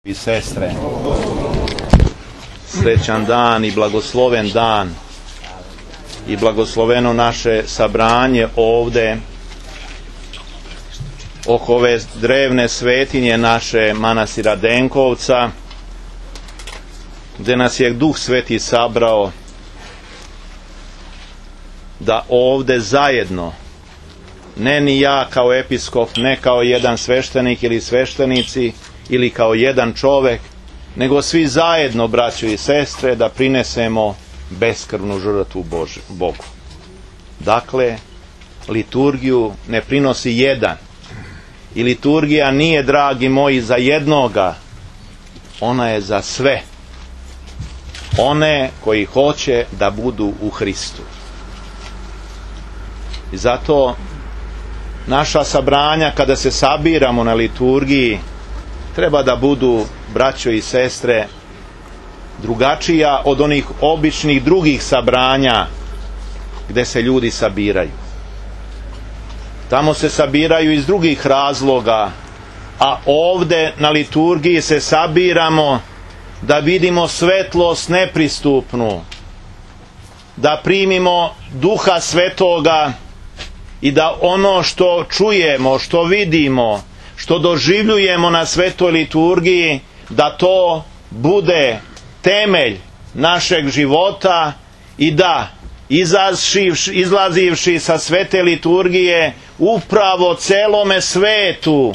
I sestre, srećan dan i blagosloven dan i blagosloveno naše sabranje ovde oko ove drevne svetinje naše manastira Denkovca, gde nas je Duh Sveti sabrao da ovde zajedno, ne ni ja kao episkop, ne kao jedan sveštenik ili sveštenici ili kao jedan čovek, nego svi zajedno, braćo i sestre, da prinesemo beskrvnu žrtvu Bogu. Dakle, liturgiju ne prinosi jedan. I liturgija nije, dragi moji, za jednoga. Ona je za sve. One koji hoće da budu u Hristu. I zato naša sabranja, kada se sabiramo na liturgiji, treba da budu, braćo i sestre, drugačija od onih običnih drugih sabranja gde se ljudi sabiraju. Tamo se sabiraju iz drugih razloga, a ovde na liturgiji se sabiramo da vidimo svetlost nepristupnu, da primimo Duha Svetoga i da ono što čujemo, što vidimo, što doživljujemo na svetoj liturgiji, da to bude temelj našeg života i da, izlazivši sa svete liturgije, upravo celome svetu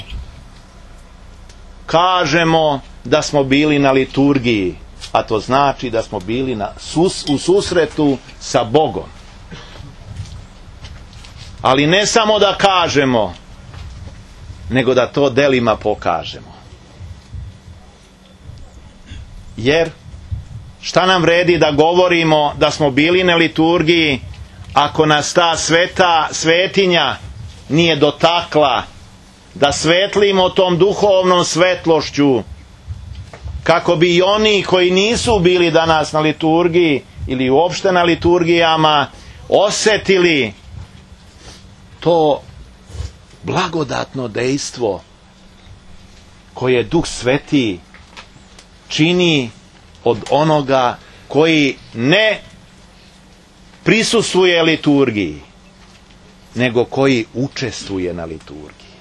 kažemo da smo bili na liturgiji, a to znači da smo bili u susretu sa Bogom. Ali ne samo da kažemo, nego da to delima pokažemo. Jer šta nam vredi da govorimo da smo bili na liturgiji ako nas ta svetinja nije dotakla, da svetlimo tom duhovnom svetlošću, kako bi i oni koji nisu bili danas na liturgiji ili uopšte na liturgijama osetili to blagodatno dejstvo koje Duh Sveti čini od onoga koji ne prisustvuje liturgiji, nego koji učestvuje na liturgiji.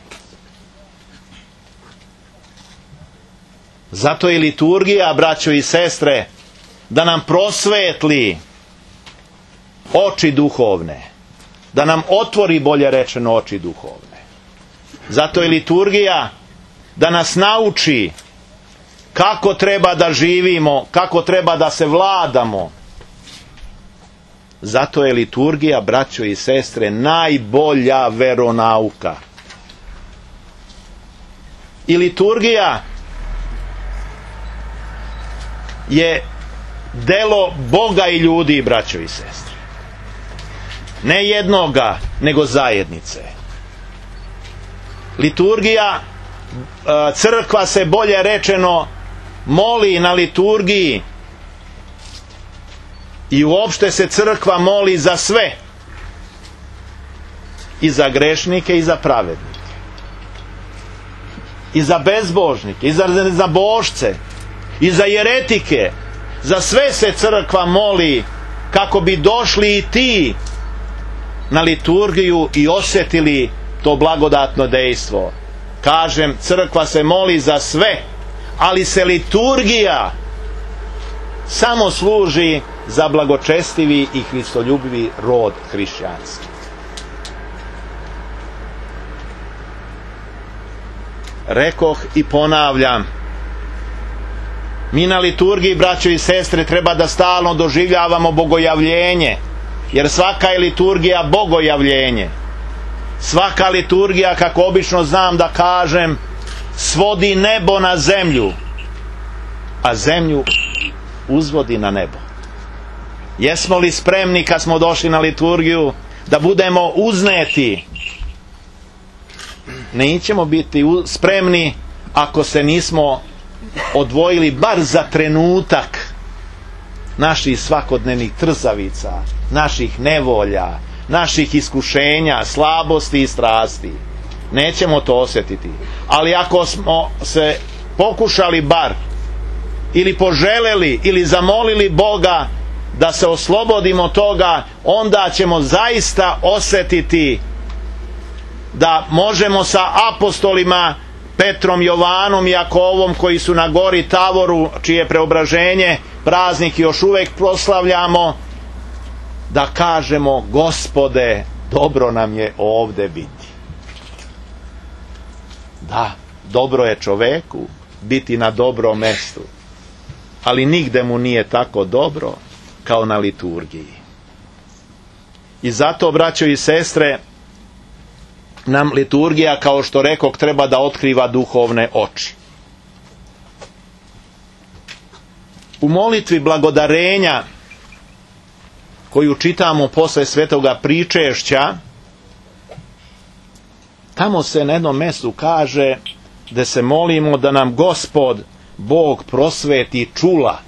Zato je liturgija, braćo i sestre, da nam prosvetli oči duhovne, da nam otvori, bolje rečeno, oči duhovne. Zato je liturgija da nas nauči kako treba da živimo, kako treba da se vladamo. Zato je liturgija, braćo i sestre, najbolja veronauka. I liturgija je delo Boga i ljudi, braćo i sestre. Ne jednoga, nego zajednice. Liturgija, crkva se, bolje rečeno, moli na liturgiji i uopšte se crkva moli za sve, i za grešnike i za pravednike, i za bezbožnike, i za božce, i za jeretike. Za sve se crkva moli kako bi došli i ti na liturgiju i osjetili to blagodatno dejstvo. Kažem, crkva se moli za sve, ali se liturgija samo služi za blagočestivi i hristoljubivi rod hrišćanski. Rekoh i ponavljam, mi na liturgiji, braćo i sestre, treba da stalno doživljavamo bogojavljenje, jer svaka je liturgija bogojavljenje. Svaka liturgija, kako obično znam da kažem, svodi nebo na zemlju, a zemlju uzvodi na nebo. Jesmo li spremni kad smo došli na liturgiju da budemo uzneti? Nećemo biti spremni ako se nismo odvojili bar za trenutak naših svakodnevnih trzavica, naših nevolja, naših iskušenja, slabosti i strasti. Nećemo to osjetiti. Ali ako smo se pokušali bar ili poželeli ili zamolili Boga da se oslobodimo toga, onda ćemo zaista osjetiti da možemo sa apostolima Petrom, Jovanom i Jakovom, koji su na gori Tavoru, čije preobraženje praznik još uvijek proslavljamo, da kažemo: Gospode, dobro nam je ovdje biti. Da, dobro je čoveku biti na dobrom mjestu, ali nigde mu nije tako dobro kao na liturgiji. I zato, braćo i sestre, nam liturgija, kao što rekoh, treba da otkriva duhovne oči. U molitvi blagodarenja, koju čitamo posle svetoga pričešća, tamo se na jednom mjestu kaže da se molimo da nam Gospod Bog prosveti čula,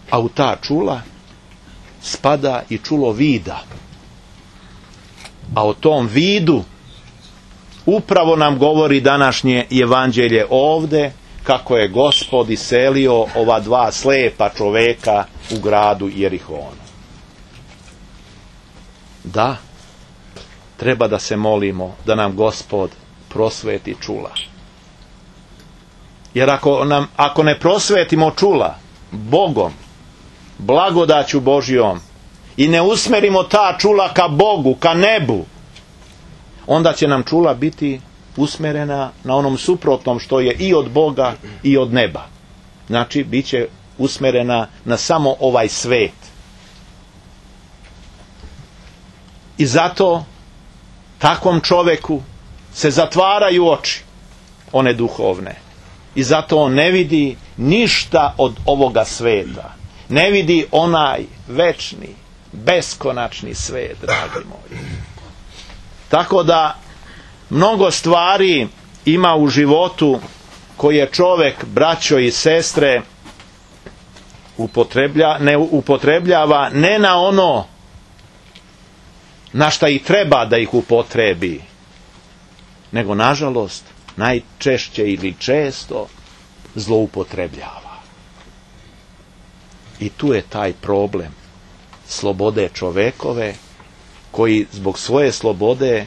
a u ta čula spada i čulo vida. A o tom vidu upravo nam govori današnje evanđelje ovdje, kako je Gospod iselio ova dva slepa čoveka u gradu Jerihonu. Da, treba da se molimo da nam Gospod prosveti čula. Jer ako ne prosvetimo čula Bogom, blagodaću Božjom, i ne usmerimo ta čula ka Bogu, ka nebu, onda će nam čula biti usmerena na onom suprotnom što je i od Boga i od neba. Znači, bit će usmerena na samo ovaj svet. I zato takvom čoveku se zatvaraju oči, one duhovne. I zato on ne vidi ništa od ovoga sveta. Ne vidi onaj večni, beskonačni svet, dragi moji. Tako da mnogo stvari ima u životu koje čovjek, braćo i sestre, ne upotrebljava ne na ono na šta i treba da ih upotrebi, nego nažalost najčešće ili često zloupotrebljava. I tu je taj problem slobode čovekove, koji zbog svoje slobode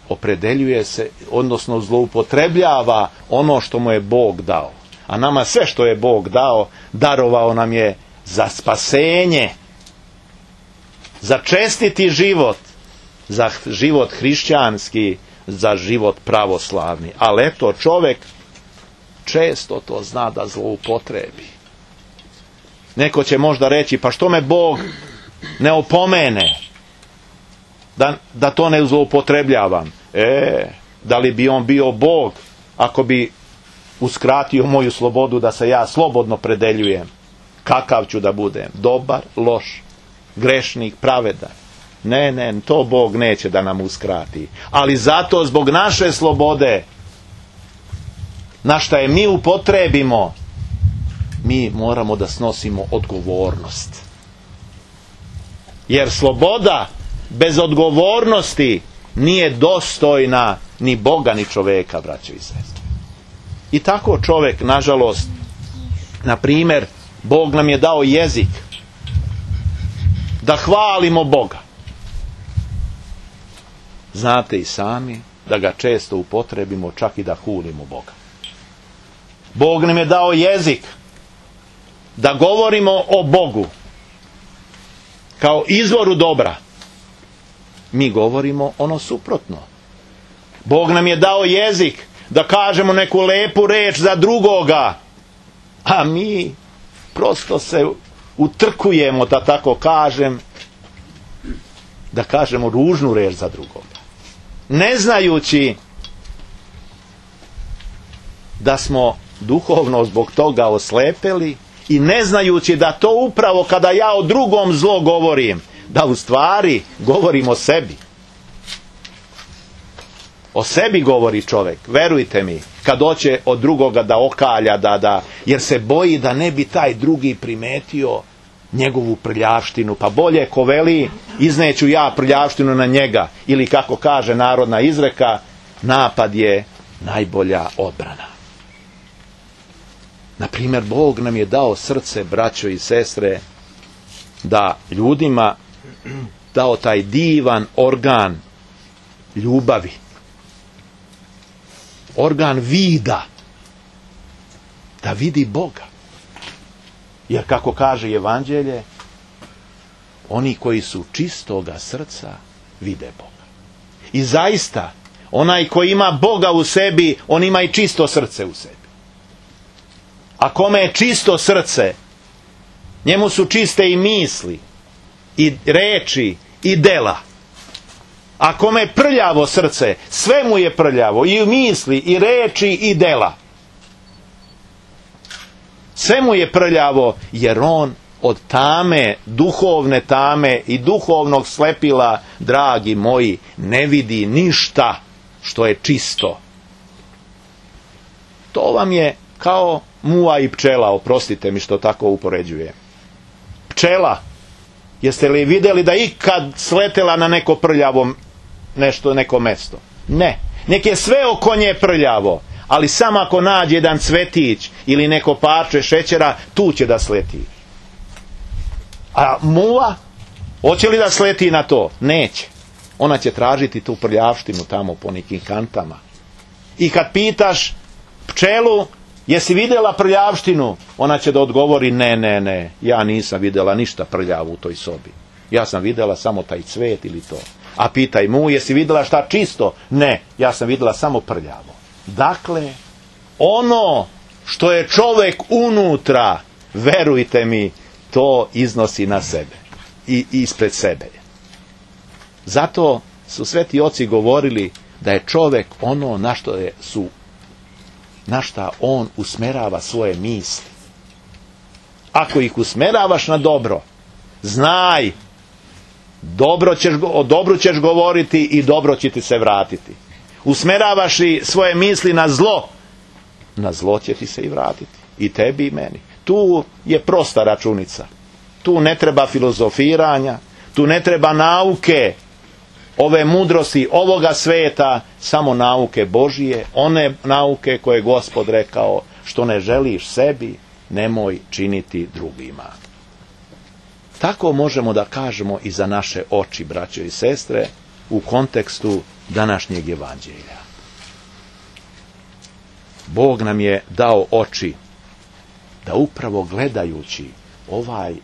opredeljuje se, odnosno zloupotrebljava ono što mu je Bog dao. A nama sve što je Bog dao, darovao nam je za spasenje, za čestiti život, za život hrišćanski, za život pravoslavni. Ali eto, čovjek često to zna da zloupotrebi. Neko će možda reći: pa što me Bog ne opomene da to ne zloupotrebljavam? Da li bi on bio Bog ako bi uskratio moju slobodu da se ja slobodno predeljujem kakav ću da budem? Dobar, loš, grešnik, pravedan? Ne, to Bog neće da nam uskrati. Ali zato zbog naše slobode, na šta je mi upotrebimo, mi moramo da snosimo odgovornost. Jer sloboda bez odgovornosti nije dostojna ni Boga ni čoveka, braćo i sestre. I tako čovjek, nažalost, na primjer, Bog nam je dao jezik da hvalimo Boga. Znate i sami da ga često upotrebimo čak i da hulimo Boga. Bog nam je dao jezik da govorimo o Bogu kao izvoru dobra. Mi govorimo ono suprotno. Bog nam je dao jezik da kažemo neku lepu reč za drugoga, a mi prosto se utrkujemo, da tako kažem, da kažemo ružnu reč za drugoga, ne znajući da smo duhovno zbog toga oslepeli i ne znajući da to upravo kada ja o drugom zlo govorim, da u stvari govorim o sebi. O sebi govori čovjek, verujte mi, kad hoće od drugoga da okalja, jer se boji da ne bi taj drugi primetio njegovu prljavštinu, pa bolje ko veli izneću ja prljavštinu na njega, ili kako kaže narodna izreka, napad je najbolja odbrana. Na primjer, Bog nam je dao srce, braćo i sestre, da ljudima dao taj divan organ ljubavi, organ vida, da vidi Boga. Jer kako kaže Evanđelje, oni koji su čistoga srca vide Boga. I zaista, onaj koji ima Boga u sebi, on ima i čisto srce u sebi. A kome je čisto srce, njemu su čiste i misli, i reči, i dela. A kome je prljavo srce, sve mu je prljavo, i misli, i reči, i dela. Sve mu je prljavo, jer on od tame, duhovne tame i duhovnog slepila, dragi moji, ne vidi ništa što je čisto. To vam je kao muva i pčela, oprostite mi što tako upoređujem. Pčela, jeste li vidjeli da ikad sletela na neko prljavo nešto, neko mesto? Ne. Nek je sve oko nje prljavo, ali samo ako nađe jedan cvetić ili neko parče šećera, tu će da sleti. A muva, hoće li da sleti na to? Neće. Ona će tražiti tu prljavštinu tamo po nekim kantama. I kad pitaš pčelu, jesi vidjela prljavštinu? Ona će da odgovori, ne, ja nisam vidjela ništa prljavo u toj sobi. Ja sam vidjela samo taj cvet ili to. A pitaj mu, jesi vidjela šta čisto? Ne, ja sam vidjela samo prljavo. Dakle, ono što je čovjek unutra, verujte mi, to iznosi na sebe i ispred sebe. Zato su sveti oci govorili da je čovjek ono na šta on usmerava svoje misli. Ako ih usmeravaš na dobro, znaj, o dobru ćeš govoriti i dobro će ti se vratiti. Usmeravaš li svoje misli na zlo će ti se i vratiti. I tebi i meni. Tu je prosta računica. Tu ne treba filozofiranja, tu ne treba nauke, ove mudrosti ovoga sveta, samo nauke Božije, one nauke koje je Gospod rekao, što ne želiš sebi, nemoj činiti drugima. Tako možemo da kažemo i za naše oči, braćo i sestre, u kontekstu današnjeg evanđelja. Bog nam je dao oči da upravo gledajući ovaj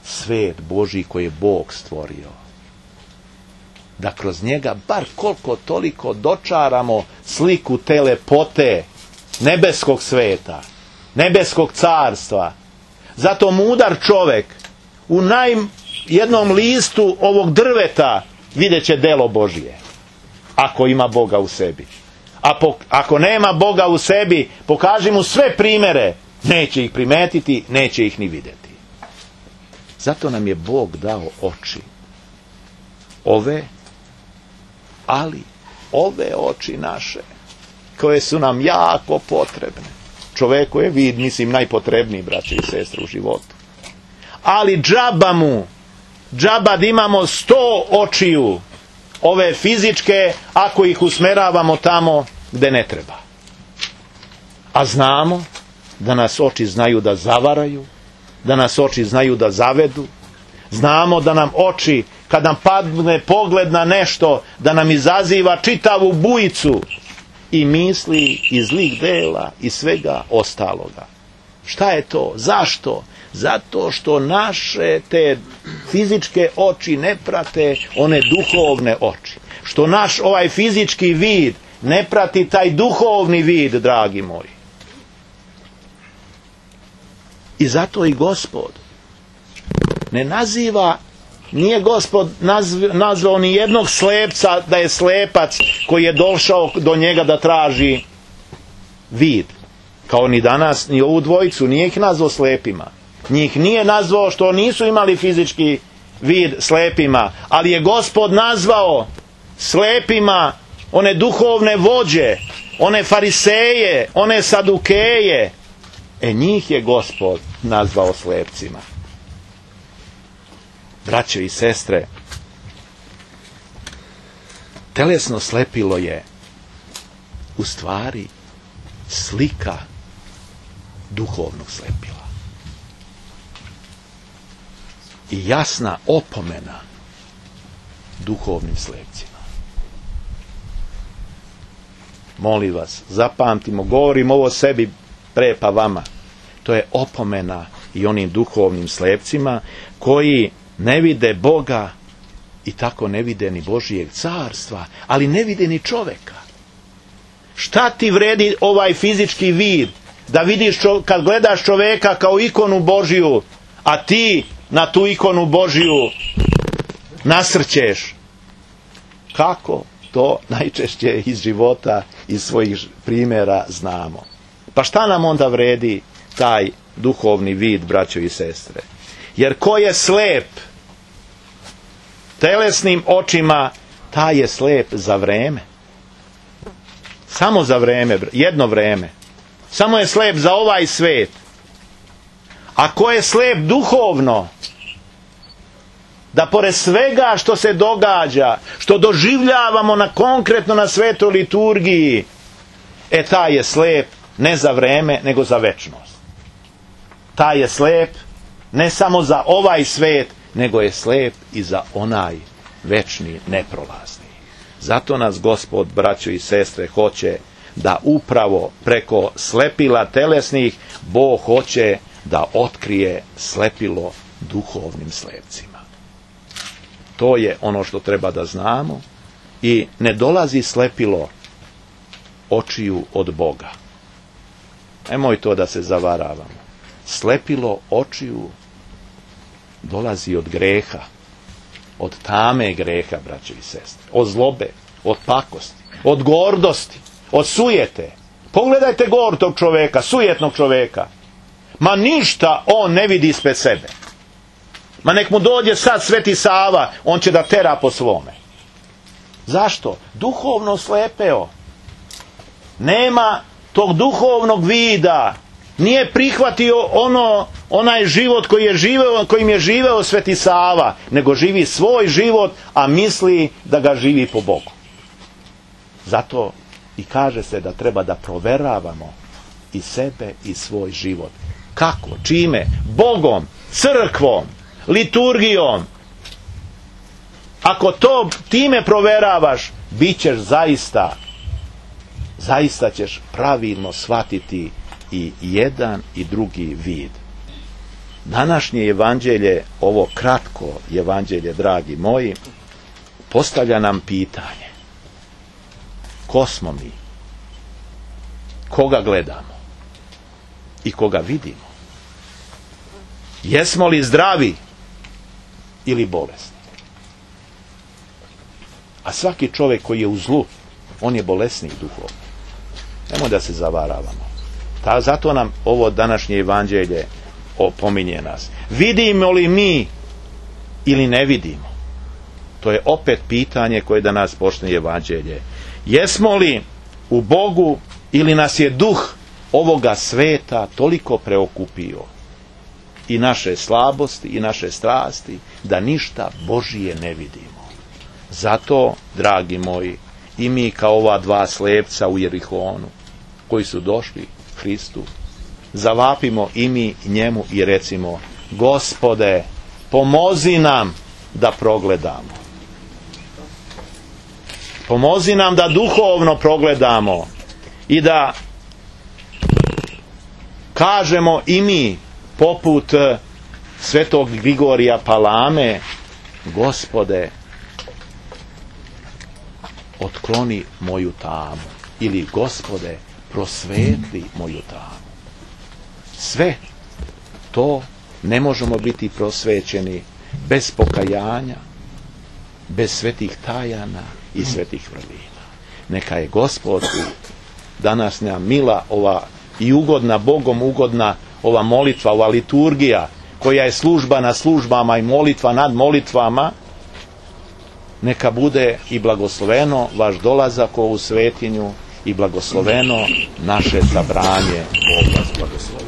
svet Božji koji je Bog stvorio, da kroz njega bar koliko toliko dočaramo sliku te lepote nebeskog sveta, nebeskog carstva. Zato mudar čovjek u jednom listu ovog drveta vidjet će delo Božije, ako ima Boga u sebi. Ako nema Boga u sebi, pokaži mu sve primere, neće ih primetiti, neće ih ni vidjeti. Zato nam je Bog dao oči. Ali ove oči naše, koje su nam jako potrebne. Čoveku je vid, mislim, najpotrebniji, braće i sestre, u životu. Ali džaba da imamo 100 očiju, ove fizičke, ako ih usmeravamo tamo gde ne treba. A znamo da nas oči znaju da zavaraju, da nas oči znaju da zavedu. Znamo da nam oči, kad nam padne pogled na nešto, da nam izaziva čitavu bujicu i misli i zlih dela i svega ostaloga. Šta je to? Zašto? Zato što naše te fizičke oči ne prate one duhovne oči. Što naš ovaj fizički vid ne prati taj duhovni vid, dragi moji. I zato i Gospod ne naziva, nije Gospod nazvao ni jednog slepca da je slepac koji je došao do njega da traži vid. Kao ni danas, ni ovu dvojicu, nije ih nazvao slepima. Njih nije nazvao što nisu imali fizički vid slepima, ali je Gospod nazvao slepima one duhovne vođe, one fariseje, one sadukeje. Njih je Gospod nazvao slepcima. Braćo i sestre, telesno slepilo je u stvari slika duhovnog slepila. I jasna opomena duhovnim slepcima. Molim vas, zapamtimo, govorim ovo sebi pre pa vama. To je opomena i onim duhovnim slepcima koji ne vide Boga i tako ne vide ni Božijeg carstva, ali ne vide ni čoveka. Šta ti vredi ovaj fizički vid da vidiš kad gledaš čoveka kao ikonu Božiju, a ti na tu ikonu Božiju nasrćeš? Kako? To najčešće iz života, iz svojih primjera znamo. Pa šta nam onda vredi taj duhovni vid, braćo i sestre? Jer ko je slep telesnim očima, taj je slep za vreme. Samo za vreme, jedno vreme. Samo je slep za ovaj svet. A ko je slep duhovno, da pored svega što se događa, što doživljavamo konkretno na svetoj liturgiji, taj je slep ne za vreme, nego za večnost. Taj je slep ne samo za ovaj svet, nego je slep i za onaj večni, neprolazni. Zato nas Gospod, braćo i sestre, hoće da upravo preko slepila telesnih Bog hoće da otkrije slepilo duhovnim slepcima. To je ono što treba da znamo i ne dolazi slepilo očiju od Boga. Nemoj to da se zavaravamo. Slepilo očiju dolazi od greha, od tame greha, braćo i sestre, od zlobe, od pakosti, od gordosti, od sujete. Pogledajte gordog čoveka, sujetnog čoveka. Ma ništa on ne vidi ispred sebe. Ma nek mu dođe sad Sveti Sava, on će da tera po svome. Zašto? Duhovno slepeo. Nema tog duhovnog vida. Nije prihvatio onaj život kojim je živeo Sveti Sava, nego živi svoj život, a misli da ga živi po Bogu. Zato i kaže se da treba da proveravamo i sebe i svoj život. Kako? Čime? Bogom, crkvom, liturgijom. Ako to time proveravaš, bit ćeš zaista ćeš pravilno shvatiti i jedan i drugi vid. Današnje evanđelje, ovo kratko evanđelje, dragi moji, postavlja nam pitanje. Ko smo mi? Koga gledamo? I koga vidimo? Jesmo li zdravi ili bolesni? A svaki čovjek koji je u zlu, on je bolesnik duhovno. Nemoj da se zavaravamo. Zato nam ovo današnje evanđelje opominje nas. Vidimo li mi ili ne vidimo? To je opet pitanje koje da nas počne evanđelje. Jesmo li u Bogu ili nas je duh ovoga sveta toliko preokupio i naše slabosti i naše strasti da ništa Božije ne vidimo? Zato, dragi moji, i mi kao ova dva slepca u Jerihonu koji su došli Hristu, zavapimo i mi njemu i recimo: Gospode, pomozi nam da progledamo. Pomozi nam da duhovno progledamo i da kažemo i mi poput svetog Grigorija Palame: Gospode, otkloni moju tamu, ili Gospode, prosvetli moju tamu. Sve to ne možemo biti prosvećeni bez pokajanja, bez svetih tajana i svetih vrlina. Neka je Gospod današnja mila ova i ugodna, Bogom ugodna ova molitva, ova liturgija koja je služba na službama i molitva nad molitvama, neka bude i blagosloveno vaš dolazak u ovu svetinju i blagosloveno naše sabranje. Bog vas blagoslovi.